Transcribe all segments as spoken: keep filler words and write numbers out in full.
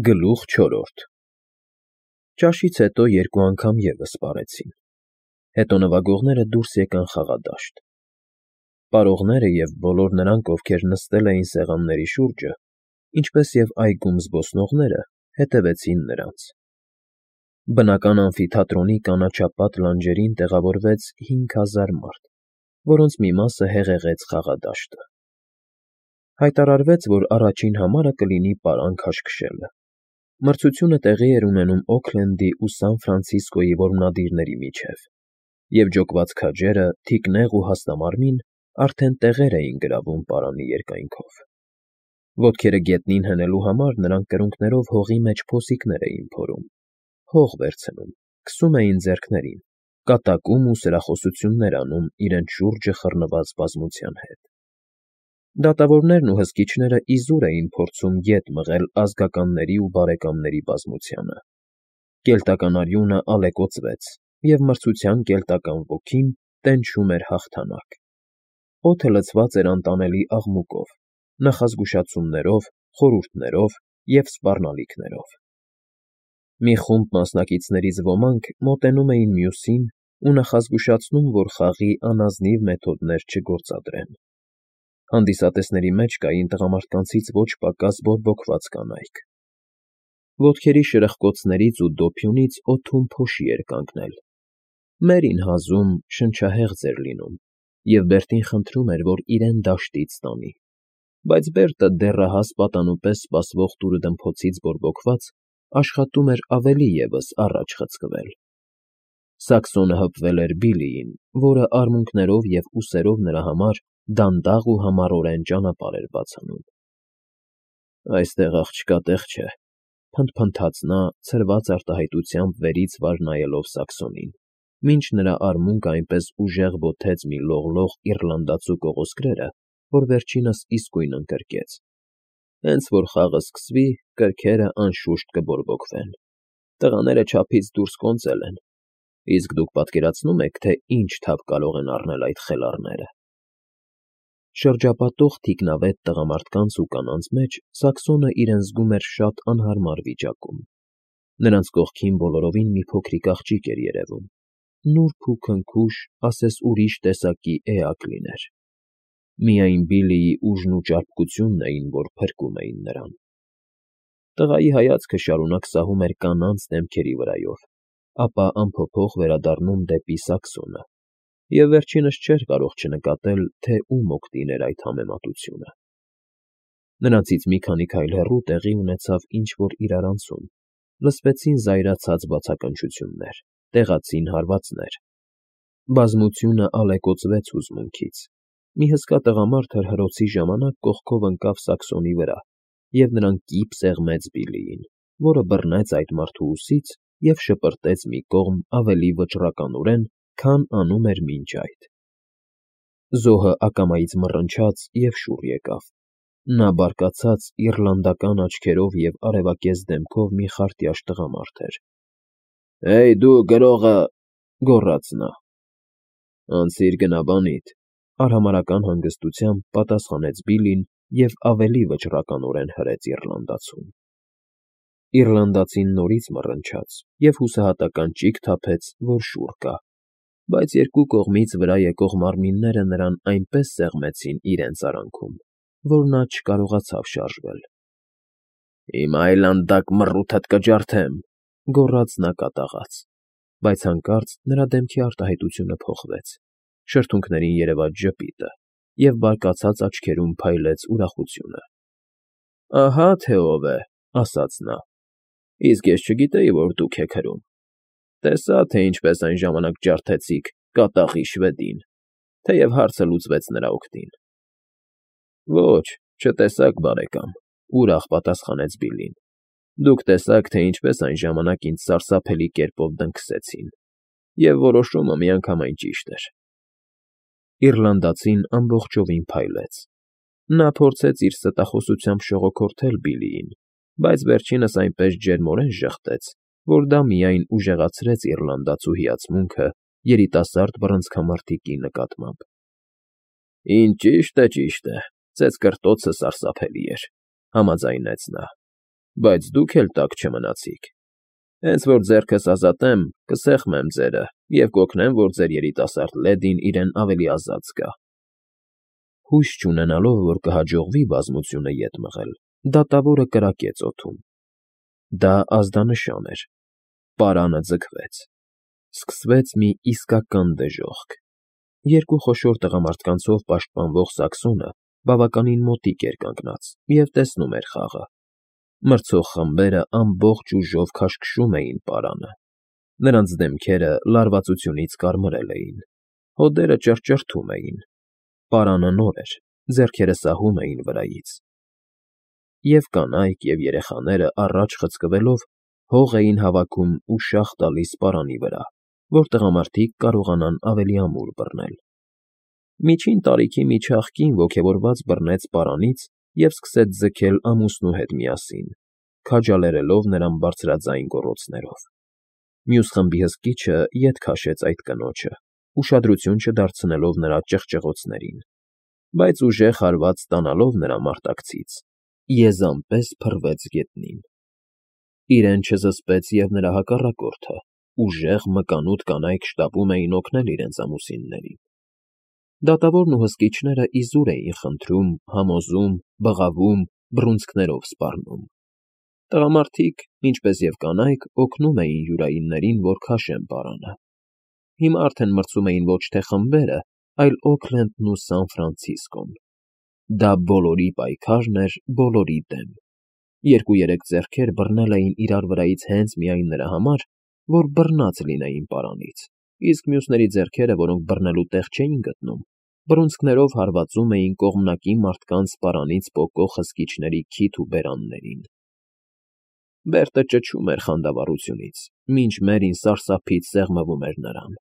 Գլուխ չորրորդ Ճաշից հետո երկու անգամ ևս պարեցին, հետո նվագողները դուրս եկան խաղադաշտ, պարողները և բոլոր նրանք, ովքեր նստել էին սեղանների շուրջը, ինչպես և այգում զբոսնողները, հետևեցին նրանց. բնական ամֆիթատրոնի կանաչապատ լանջերին տեղավորվեց հինգ հազար մարդ, որոնց մի մասը հեղեղեց խաղադաշտը. հայտարարվեց, որ առաջին համարը կլինի պարան քաշքշելը. մրցությունը տեղի էր ունենում Օքլենդի ու Սան Ֆրանցիսկոյի որմնադիրների միջև, և ջոկված քաջերը, թիկնեղ ու հաստամարմին, արդեն տեղեր էին գրավում պարանի երկայնքով. ոտքերը գետնին հենելու համար նրանք կրունկներով հողի մեջ փոսիկներ էին փորում, հող վերցնում, քսում էին ձեռքներին, կատակում ու սրախոսություններ անում իրենց շուրջը խռնված բազմության հետ. դատավորներն ու հսկիչները իզուր էին փորձում ետ մղել ազգականների ու բարեկամների բազմությանը. կելտական արյունը ալեկոծվեց, և մրցության կելտական ոգին տենչում էր հաղթանակ. օդը լցված էր անտանելի աղմուկով, նախազգուշացումներով, խորհուրդներով և սպառնալիքներով. մի խումբ մասնակիցներից ոմանք մոտենում էին մյուսին ու նախազգուշացնում, որ խաղի անազնիվ մեթոդներ չգործադրեն. հանդիսատեսների մեջ կային տղամարդկանցից ոչ պակաս բորբոքված կանայք. ոտքերի շրխկոցներից ու դոփյունից օդում փոշի էր կանգնել. «Մերին հազում շնչահեղձ էր լինում, և Բերտին խնդրում էր, որ իրեն դաշտից տանի, բայց Բերտը, դեռահաս պատանու պես սպասվող տուրըդմփոցից բորբոքված, աշխատում էր ավելի ևս առաջ խցկվել»։ Սաքսոնը հպվել էր Բիլլիին, որը արմունկներով և ուսերով նրա համար դանդաղ ու համառորեն ճանապարհ էր բաց անում։ «Այստեղ աղջկա տեղ չէ», փնթփնթաց նա, ցրված արտահայտությամբ վերից վար նայելով Սաքսոնին, մինչ նրա արմունկը այնպես ուժեղ բոթեց մի լողլող իռլանդացու կողոսկրերը, որ վերջինս իսկույն ընկրկեց. «Հենց որ խաղը սկսվի, կրքերը, անշուշտ, կբորբոքվեն. տղաները չափից դուրս կոնծել են, իսկ դուք պատկերացնո՞ւմ եք, թե ինչ թափ կարող են առնել այդ խելառները»։ Շրջապատող թիկնավետ տղամարդկանց ու կանանց մեջ Սաքսոնը իրեն զգում էր շատ անհարմար վիճակում. նրանց կողքին բոլորովին մի փոքրիկ աղջիկ էր երևում, նուրբ ու քնքուշ, ասես ուրիշ տեսակի էակ լիներ. միայն Բիլլիի ուժն ու ճարպկությունն էին, որ փրկում էին նրան։ Տղայի հայացքը շարունակ սահում էր կանանց դեմքերի վրայով, ապա անփոփոխ վերադառնում դեպի Սաքսոնը, և վերջինս չէր կարող չնկատել, թե ում օգտին էր այդ համեմատությունը։ Նրանցից մի քանի քայլ հեռու տեղի ունեցավ ինչ֊որ իրարանցում, լսվեցին զայրացած բացականչություններ, տեղացին հարվածներ. բազմությունը ալեկոծվեց հուզմունքից. մի հսկա տղամարդ հրհրոցի ժամանակ կողքով ընկավ Սաքսոնի վրա, և նրան կիպ սեղմեց Բիլլիին, որը բռնեց այդ մարդու ուսից և շպրտեց մի կողմ ավելի վճռականորեն, քան անում էր մինչ այդ. զոհը ակամայից մռնչաց և շուռ եկավ. նա բարկացած իռլանդական աչքերով և արևակեզ դեմքով մի խարտյաշ տղամարդ էր։ «Հեյ դու, գրողը», գոռաց նա։ «Անցիր գնաբանիդ», արհամարհական հանգստությամբ պատասխանեց Բիլլին և ավելի վճռականորեն հրեց իռլանդացուն։ Իռլանդացին նորից մռնչաց և հուսահատական ճիգ թափեց, որ շուռ կա, բայց երկու կողմից վրա եկող մարմինները նրան այնպես սեղմեցին իրենց արանքում, որ նա չկարողացավ շարժվել։ «Հիմա այլանդակ մռութդ կջարդեմ», գոռաց նա կատաղած, բայց հանկարծ նրա դեմքի արտահայտությունը փոխվեց, շրթունքներին երևաց ժպիտը, և բարկացած աչքերում փայլեց ուրախությունը։ «Ահա թե ով է», ասաց նա, «իսկ ես չգիտեի, որ դուք եք հրում։ Տեսա, թե ինչպես այն ժամանակ ջարդեցիք կատաղի շվեդին, թեև հարցը լուծվեց նրա օգտին»։ «Ոչ, չտեսաք, բարեկամ», ուրախ պատասխանեց Բիլլին։ «Դուք տեսաք, թե ինչպես այն ժամանակ ինձ սարսափելի կերպով դնքսեցին, և որոշումը միանգամայն ճիշտ էր»։ Իռլանդացին ամբողջովին փայլեց. նա փորձեց իր ստախոսությամբ շողոքորթել Բիլլիին, բայց վերջինս այնպես ջերմորեն ժխտեց, որ դա միայն ուժեղացրեց իռլանդացու հիացմունքը երիտասարդ բռնցքամարտիկի նկատմամբ։ «Ինչ ճիշտ է, ճիշտ է, ծեծկռտոցը սարսափելի էր», համաձայնեց նա։ Բայց դուք էլ տաք չմնացիք։ Հենց որ ձեռքս ազատեմ, կսեղմեմ ձերը և կօգնեմ, որ ձեր երիտասարդ լեդին իրեն ավելի ազատ զգա։ Հույս չունենալով, որ կհաջողվի բազմությունը ետ մղել, դատավորը կրակեց օդում։ Դա ազդանշան էր. պարանը ձգվեց։ Սկսվեց մի իսկական դժոխք։ Երկու խոշոր տղամարդկանցով պաշտպանվող Սակսոնը բավականին մոտիկ էր կանգնած և տեսնում էր խաղը։ Մրցող խմբերը ամբողջ ուժով քաշքշում էին պարանը։ Նրանց դեմքերը լարվածությունից կարմրել էին, հոդերը ճռճռթում էին։ Պարանը նոր էր, ձեռքերը սահում էին վրայից։ Եվ կանայք, և երեխաները առաջ խցկվելով հող էին հավաքում ու շաղ տալիս պարանի վրա, որ տղամարդիկ կարողանան ավելի ամուր բռնել։ Միջին տարիքի մի չաղ կին ոգևորված բռնեց պարանից և սկսեց ձգել ամուսնու հետ միասին, քաջալերելով նրան բարձրաձայն գոռոցներով։ Մյուս խմբի հսկիչը ետ քաշեց այդ կնոջը, ուշադրություն չդարձնելով նրա ճղճղոցներին, բայց ուժեղ հարված ստանալով նրա մարտակցից, եզան պես փռվեց գետնին։ Իրեն չզսպեց և նրա հակառակորդը, ուժեղ, մկանուտ կանայք շտապում էին օգնել իրենց ամուսիններին։ Դատավորն ու հսկիչները իզուր էին խնդրում, համոզում, բղավում, բռունցքներով սպառնում։ Տղամարդիկ, ինչպես և կանայք, օգնում էին յուրայիններին, որ քաշեն պարանը։ Հիմա արդեն մրցում էին ոչ թե խմբերը, այլ Օքլենդն ու Սան Ֆրանցիսկոն։ Դա բոլորի պայքարն էր բոլորի դեմ։ Երկու֊երեք ձեռքեր բռնել էին իրար վրայից հենց միայն նրա համար, որ բռնած լինեին պարանից, իսկ մյուսների ձեռքերը, որոնք բռնելու տեղ չէին գտնում, բռունցքներով հարվածում էին կողմնակի մարդկանց պարանից պոկող հսկիչների քիթ ու բերաններին։ Բերտը ճչում էր խանդավառությունից, մինչ Մերին սարսափից սեղմվում էր նրան։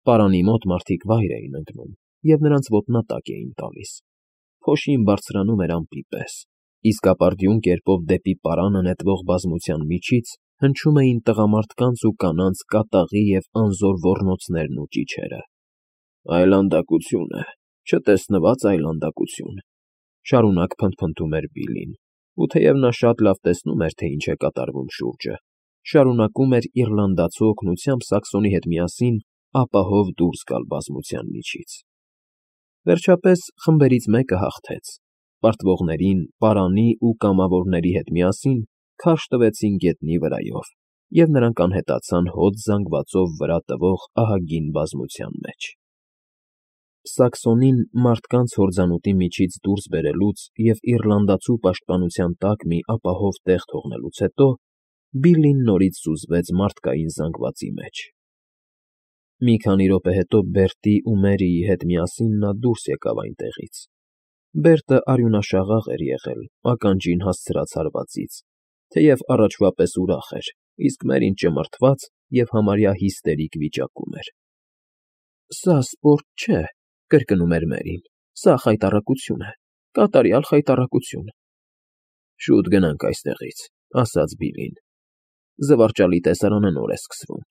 Պարանի մոտ մարդիկ վայր էին ընկնում և նրանց ոտնատակ էին տալիս։ Փոշին բարձրանում էր ամպի պես, իսկ ապարդյուն կերպով դեպի պարանը նետվող բազմության միջից հնչում էին տղամարդկանց ու կանանց կատաղի և անզոր ոռնոցներն ու ճիչերը։ Այլանդակություն է, չտեսնված այլանդակություն, շարունակ փնթփնթում էր Բիլլին, ու թեև նա շատ լավ տեսնում էր, թե ինչ է կատարվում շուրջը, շարունակում էր իռլանդացու օգնությամբ Սակսոնի հետ միասին ապահով դուրս գալ բազմության միջից։ Վերջապես խմբերից մեկը հաղթեց։ Պարտվողներին, պարանի ու կամավորների հետ միասին քարշ տվեցին գետնի վրայով, և նրանք անհետացան հոտ զանգվածով վրա տվող ահագին բազմության մեջ։ Սակսոնին մարդկանց հորձանուտի միջից դուրս բերելուց և իռլանդացու պաշտպանության տակ մի ապահով տեղ թողնելուց հետո Բիլլին նորից սուզվեց մարդկային զանգվածի մեջ։ Մի քանի րոպե հետո Բերտի ու Մերիի հետ միասին նա դուրս եկավ այնտեղից։ Բերտը արյունաշաղախ էր եղել ականջին հասցրած հարվածից, թեև առաջվա պես ուրախ էր, իսկ Մերին ճմռթված և համարյա հիստերիկ վիճակում էր։ Սա սպորտ չէ, կրկնում էր Մերին, սա խայտառակություն է, կատարյալ խայտառակություն։ Շուտ գնանք այստեղից, ասաց Բիլլին, զվարճալի տեսարանը նոր է սկսվում։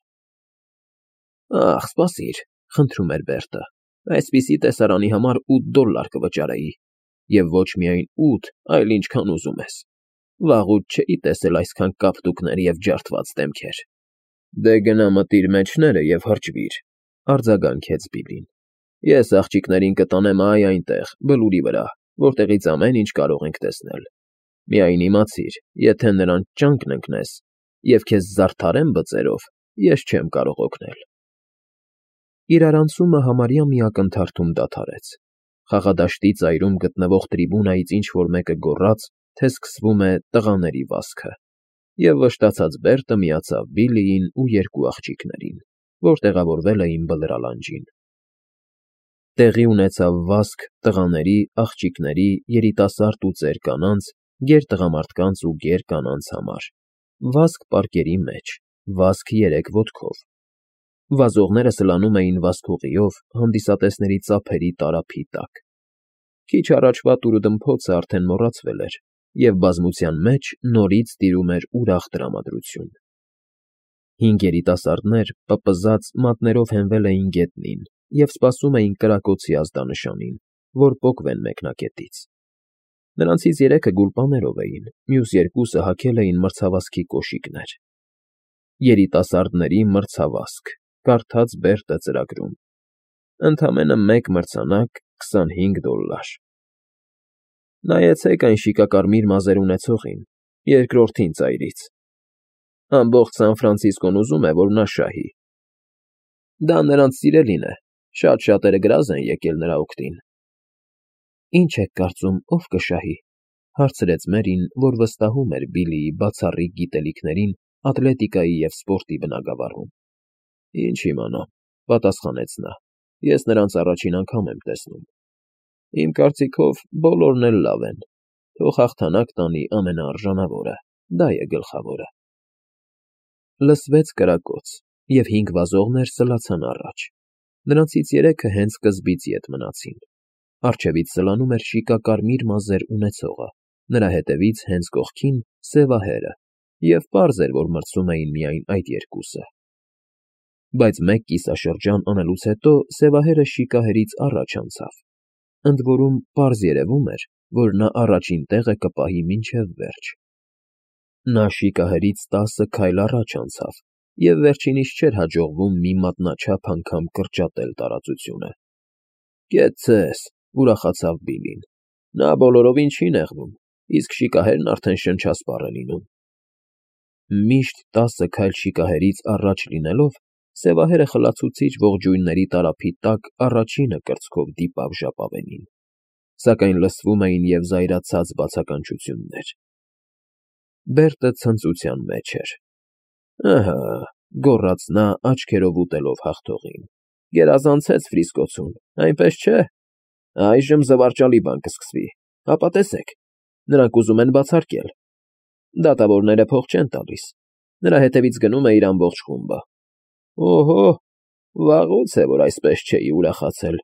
Ախ, սպասիր, խնդրում էր Բերտը, այսպիսի տեսարանի համար ութ դոլլար կվճարեի, և ոչ միայն ութ, այլ ինչքան ուզում ես։ Վաղուց չէի տեսել այսքան կապտուկներ և ջարդված դեմքեր։ Դե գնա մտիր մեջները և հրճվիր, արձագանքեց Բիլլին։ Ես աղջիկներին կտանեմ այ այնտեղ, բլուրի վրա, որտեղից ամեն ինչ կարող ենք տեսնել։ Միայն իմացիր, եթե նրանց ճանկն ընկնես և քեզ զարդարեն բծերով, ես չեմ կարող օգնել։ Իրարանցումը համարյա մի ակնթարթում դադարեց։ Խաղադաշտի ծայրում գտնվող տրիբունայից ինչ֊որ մեկը գոռաց, թե սկսվում է «տղաների վազքը», և վշտացած Բերտը միացավ Բիլլիին ու երկու աղջիկներին, որ տեղավորվել էին բլրալանջին։ Տեղի ունեցավ վազք տղաների, աղջիկների, երիտասարդ ու ծեր կանանց, գեր֊տղամարդկանց ու գեր֊կանանց համար, վազք պարկերի մեջ, վազք երեք ոտքով։ Վազողները սլանում էին վազքուղիով հանդիսատեսների ծափերի տարափի տակ։ Քիչ առաջվա տուրուդմփոցը արդեն մոռացվել էր, և բազմության մեջ նորից տիրում էր ուրախ տրամադրություն։ Հինգ երիտասարդներ, պպզած, մատներով հենվել էին գետնին և սպասում էին կրակոցի ազդանշանին, որ պոկվեն մեկնակետից։ Նրանցից երեքը գուլպաներով էին, մյուս երկուսը հագել էին մրցավազքի կոշիկներ։ Երիտասարդների մրցավազք, կարդաց Բերտը ծրագրում։ Ընդամենը մեկ մրցանակ՝ քսանհինգ դոլլար։ Նայեցեք այն շիկակարմիր մազեր ունեցողին, երկրորդին ծայրից։ Ամբողջ Սան Ֆրանցիսկոն ուզում է, որ նա շահի։ Դա նրանց սիրելին է, շատ շատերը գրազ են եկել նրա օգտին։ Ինչ եք կարծում, ով կշահի, հարցրեց Մերին, որ վստահում էր Բիլլիի բացառիկ գիտելիքներին ատլետիկայի և սպորտի բնագավառում։ Ինչ իմանամ, պատասխանեց նա, ես նրանց առաջին անգամ եմ տեսնում։ Իմ կարծիքով բոլորն էլ լավ են, թող հաղթանակ տանի ամենաարժանավորը, դա է գլխավորը։ Լսվեց կրակոց, և հինգ վազողներ սլացան առաջ։ Նրանցից երեքը հենց սկզբից ետ մնացին։ Առջևից սլանում էր շիկակարմիր մազեր ունեցողը, նրա հետևից հենց կողքին՝ սևահերը, և պարզ էր, որ մրցում էին միայն այդ երկուսը։ Բայց մեկ կիսաշրջան անելուց հետո սևահերը շիկահերից առաջ անցավ, ընդ որում պարզ երևում էր, որ նա առաջին տեղը կպահի մինչև վերջ։ Նա շիկահերից տասը քայլ առաջ անցավ, և վերջինիս չէր հաջողվում մի մատնաչափ անգամ կրճատել տարածությունը։ Գետ ձեզ, ուրախացավ Բիլլին, նա բոլորովին չի նեղվում, իսկ շիկահերն արդեն շնչասպառ է լինում։ Միշտ տասը քայլ շիկահերից առաջ լինելով, սևահերը խլացուցիչ ողջույնների տարափի տակ առաջինը կրծքով դիպավ ժապավենին, սակայն լսվում էին և զայրացած բացականչություններ։ Բերտը ցնծության մեջ էր։ Ըհը, գոռաց նա, աչքերով ուտելով հաղթողին, գերազանցեց Ֆրիսկոցուն, այնպես չէ։ Այժմ զվարճալի բան կսկսվի, հապա տեսեք, նրանք ուզում են բացարկել։ Դատավորները փող չեն տալիս, նրա հետևից գնում է իր ամբողջ խումբը։ Օհո, վաղուց է, որ այսպես չէի ուրախացել։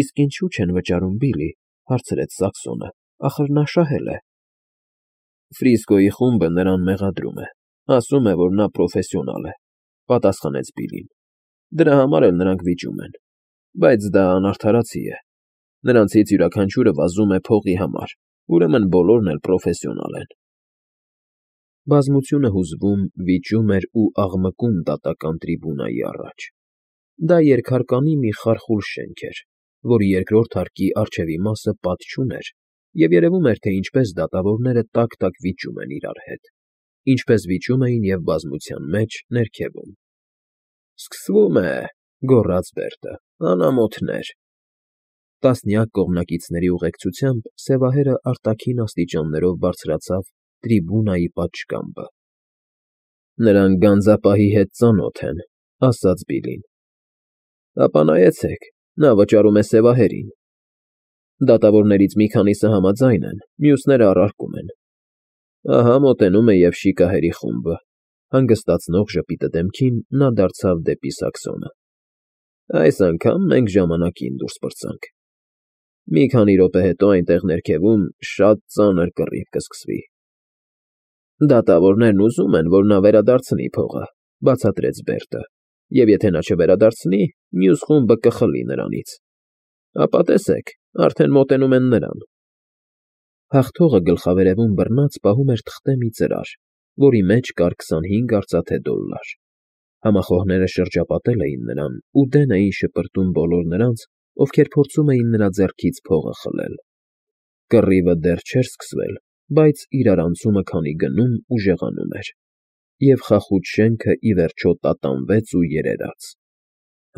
Իսկ ինչու չեն վճարում, Բիլլի, հարցրեց Սաքսոնը, ախր նա շահել է։ Ֆրիսկոյի խումբը նրան մեղադրում է, ասում է, որ նա պրոֆեսիոնալ է, պատասխանեց Բիլլին։ Դրա համար էլ նրանք վիճում են, բայց դա անարդարացի է։ Նրանցից յուրաքանչյուրը վազում է փողի համար, ուրեմն բոլորն էլ պրոֆեսիոնալ են։ Բազմությունը հուզվում, վիճում էր ու աղմկում դատական տրիբունայի առաջ։ Դա երկհարկանի մի խարխուլ շենք էր, որի երկրորդ հարկի առջևի մասը պատ չուներ, և երևում էր, թե ինչպես դատավորները տակ֊տակ վիճում են իրար հետ, ինչպես վիճում էին և բազմության մեջ ներքևում։ Սկսվում է, գոռաց Բերտը, անամոթներ։ Տասնյակ կողմնակիցների ուղեկցությամբ սևահերը արտաքին աստիճաններով բարձրացավ տրիբունայի պատշգամբը։ Նրանք գանձապահի հետ ծանոթ են, ասաց Բիլլին։ Ապա նայեցեք, նա վճարում է սևահերին։ Դատավորներից մի քանիսը համաձայն են, մյուսները առարկում են։ Ահա մոտենում է և շիկահերի խումբը։ Հանգստացնող ժպիտը դեմքին նա դարձավ դեպի Սաքսոնը։ Այս անգամ մենք ժամանակին դուրս պրծանք։ Մի քանի րոպե հետո այնտեղ ներքևում շատ ծանր կռիվ կսկսվի։ Դատավորներն ուզում են, որ նա վերադարձնի փողը, բացատրեց Բերտը, և եթե նա չվերադարձնի, մյուս խումբը կխլի նրանից։ Ապա տեսեք, արդեն մոտենում են նրան։ Հաղթողը գլխավերևում բռնած պահում էր թղթե մի ծրար, որի մեջ կար քսանհինգ արծաթե դոլլար։ Համախոհները շրջապատել էին նրան ու դեն էին շպրտում բոլոր նրանց, ովքեր փորձում էին նրա ձեռքից փողը խլել։ Կռիվը դեռ չէր սկսվել, բայց իրարանցումը քանի գնում ուժեղանում էր, և խախուճ շենքը ի վերջո տատանվեց ու երերաց։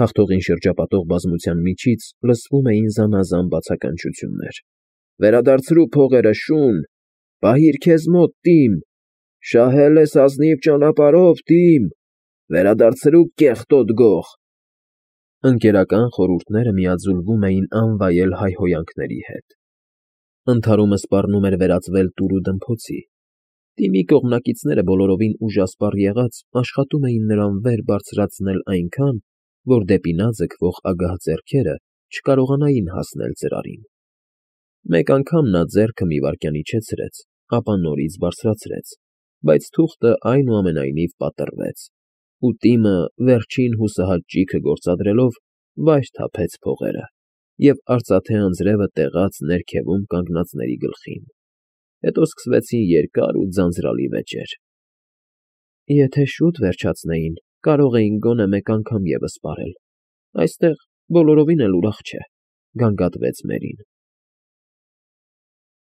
Հաղթողին շրջապատող բազմության միջից լսվում էին զանազան բացականչություններ. Վերադարձրու փողերը, շուն, պահիր քեզ մոտ, Տիմ, շահել ես ազնիվ ճանապարհով, Տիմ, վերադարձրու կեղտոտ գող։ Ընկերական խորհուրդները միաձուլվում էին անվայել հայհոյանքների հետ։ Ընդհարումը սպառնում էր վերածվել տուրուդմփոցի։ Տիմի կողմնակիցները բոլորովին ուժասպառ եղած աշխատում էին նրան վեր բարձրացնել այնքան, որ դեպի նա ձգվող ագահ ձեռքերը չկարողանային հասնել ծրարին։ Մեկ անգամ նա ձեռքը մի վայրկյան իջեցրեց, ապա նորից բարձրացրեց, բայց թուղթը այնուամենայնիվ պատռվեց, ու Տիմը, վերջին հուսահատ ճիգը գործադրելով, վայր թափեց փողերը։ և արծաթե անձրևը տեղաց ներքևում կանգնածների գլխին, հետո սկսվեցին երկար ու ձանձրալի վեճեր։ «Եթե շուտ վերջացնեին, կարող էինք գոնե մեկ անգամ ևս պարել, այստեղ բոլորովին էլ ուրախ չէ»,֊ գանգատվեց Մերին։